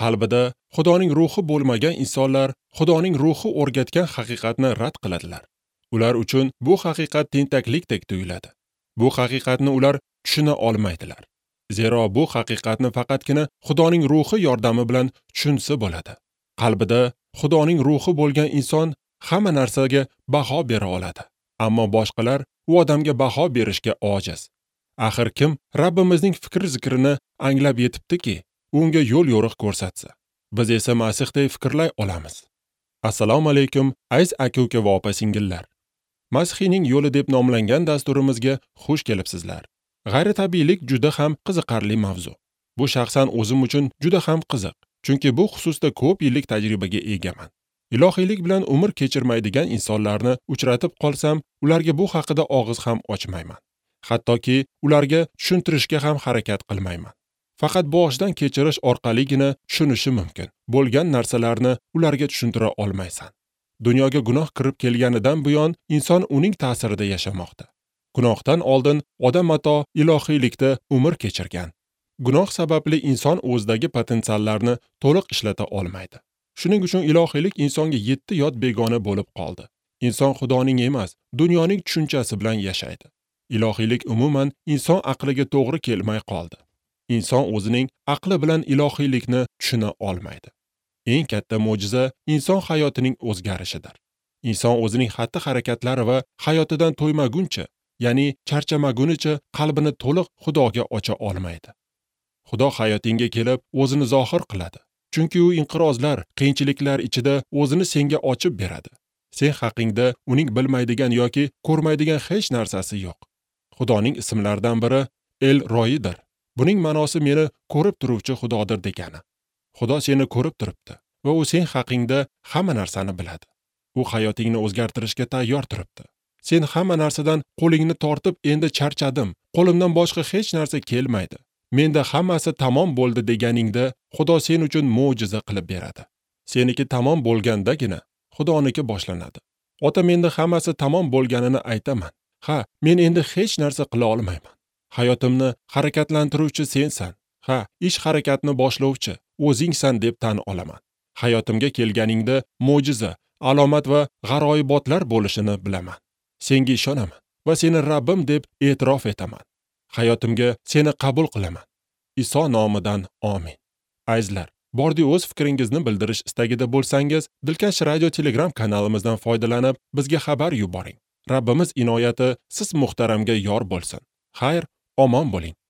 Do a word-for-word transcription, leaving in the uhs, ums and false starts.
Qalbida Xudoning ruhi bo'lmagan insonlar Xudoning ruhi o'rgatgan haqiqatni rad qiladilar. Ular uchun bu haqiqat tentaklikdek tuyuladi. Bu haqiqatni ular tushuna olmaydilar. Zero bu haqiqatni faqatgina Xudoning ruhi yordami bilan tushunsa bo'ladi. Qalbida Xudoning ruhi bo'lgan inson hamma narsaga baho bera oladi. Ammo boshqalar u odamga baho berishga ojiz. Axir kim Rabbimizning fikr-zikrini anglab yetibdiki, unga yo'l yo'riq ko'rsatsa. Biz esa Masihday fikrlay olamiz. Assalomu alaykum, aziz aka-uka va opa-singillar. Masihiyning yo'li deb nomlangan dasturimizga xush kelibsizlar. G'ayritabiiylik juda ham qiziqarli mavzu. Bu shaxsan o'zim uchun juda ham qiziq, chunki bu xususda ko'p yillik tajribaga egaman. Ilohiylik bilan umr kechirmaydigan insonlarni uchratib qolsam, ularga bu haqida og'iz ham ochmayman. Hattoki ularga tushuntirishga ham harakat qilmayman. Faqat boshdan kechirish orqaligina tushunishi mumkin bo'lgan narsalarni ularga tushuntira olmaysan. Dunyoga gunoh kirib kelganidan buyon inson uning ta'sirida yashamoqda. Gunohdan oldin odam ato ilohiylikda umr kechirgan. Gunoh sababli inson o'zidagi potensiallarni to'liq ishlata olmaydi. Shuning uchun ilohiylik insonga yetti yot begona bo'lib qoldi. Inson Xudoning emas, dunyoning tushunchasi bilan yashaydi. Ilohiylik umuman inson aqliga to'g'ri kelmay qoldi. Inson o'zining aqli bilan ilohiylikni tushuna olmaydi. Eng katta mo'jiza inson hayotining o'zgarishidir. Inson o'zining xatti-harakatlari va hayotidan to'ymaguncha, ya'ni charchamagunicha qalbini to'liq Xudoga ocha olmaydi. Xudo hayotingga kelib o'zini zohir qiladi. Chunki u inqirozlar, qiyinchiliklar ichida o'zini senga ochib beradi. Sen haqingda uning bilmaydigan yoki ko'rmaydigan hech narsasi yo'q. Xudoning ismlaridan biri El Roidir. Buning ma'nosi meni ko'rib turuvchi Xudodir degani. Xudo seni ko'rib turibdi va u sen haqingda hamma narsani biladi. U hayotingni o'zgartirishga tayyor turibdi. Sen hamma narsadan qo'lingni tortib, endi charchadim, qo'limdan boshqa hech narsa kelmaydi, menda hammasi tamom bo'ldi deganingda Xudo sen uchun mo'jiza qilib beradi. Seniki tamom bo'lgandagina Xudoniki boshlanadi. Ota, menda hammasi tamom bo'lganini aytaman. Ha, men endi hech narsa qila olmayman. Hayotimni harakatlantiruvchi sensan. Ha, ish harakatni boshlovchi o'zingsan deb tan olaman. Hayotimga kelganingda mo'jiza, alomat va g'aroyibotlar bo'lishini bilaman. Senga ishonaman va seni Rabbim deb e'tirof etaman. Hayotimga seni qabul qilaman. Iso nomidan amin. Azizlar, bordi o'z fikringizni bildirish istagida bo'lsangiz, Dilkash Radio Telegram kanalimizdan foydalanib, bizga xabar yuboring. Rabbimiz inoyati siz muhtaramga yor bo'lsin. Xayr, omon bo'ling.